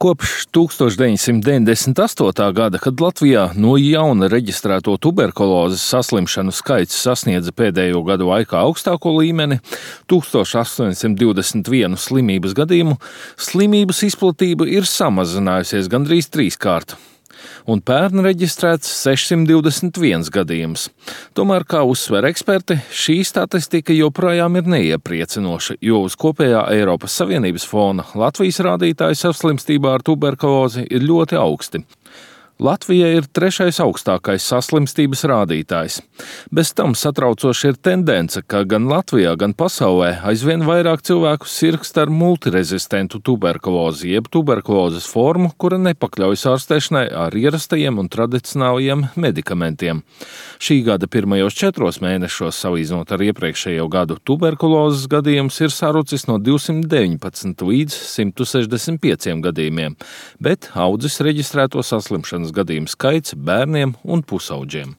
Kopš 1998. gada, kad Latvijā no jauna reģistrēto tuberkulozes saslimšanu skaits sasniedza pēdējo gadu laikā augstāko līmeni - 1821 slimības gadījumu, slimības izplatība ir samazinājusies gandrīz trīskārt. Un pērn reģistrēts 621 gadījums. Tomēr, kā uzsver eksperti, šī statistika joprojām ir neiepriecinoša, jo uz kopējā Eiropas Savienības fona Latvijas rādītāji saslimstībā ar tuberkulozi ir ļoti augsti. Latvija ir trešais augstākais saslimstības rādītājs. Bez tam satraucoši ir tendence, ka gan Latvijā, gan pasaulē aizvien vairāk cilvēku sirgst ar multirezistentu tuberkulozi, jeb tuberkulozes formu, kura nepakļaujas ārstēšanai ar ierastajiem un tradicionālajiem medikamentiem. Šī gada pirmajos 4 mēnešos, salīdzinot ar iepriekšējo gadu, tuberkulozes gadījums ir sarucis no 219 līdz 165 gadījumiem, bet audzis reģistrēto saslimšanas gadījumu skaits bērniem un pusaudžiem.